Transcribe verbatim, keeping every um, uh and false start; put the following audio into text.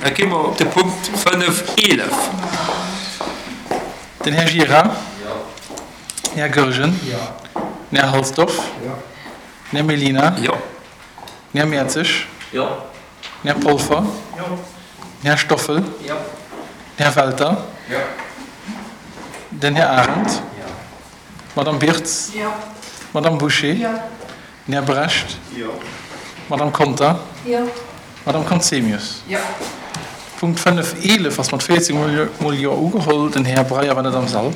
Da gi mer op de Punkt fënnef eelef. Den Här Gira. Den Här Goergen. Den Här Halsdorf. Den Här Mellina. Jo. Den Här Mertzig. Jo. Den Här Polfer. Den Här Stoffel. Den Här Welter. Den Här Arendt. D'Madame Birtz. D'Madame Bouché. Den Här Brecht. D'Madame Conter. D'Madame Conzemius. Punkt fënnef eelef ass mat véierzeg mol Jo ugeholl. Den Här Breyer war net am Sall.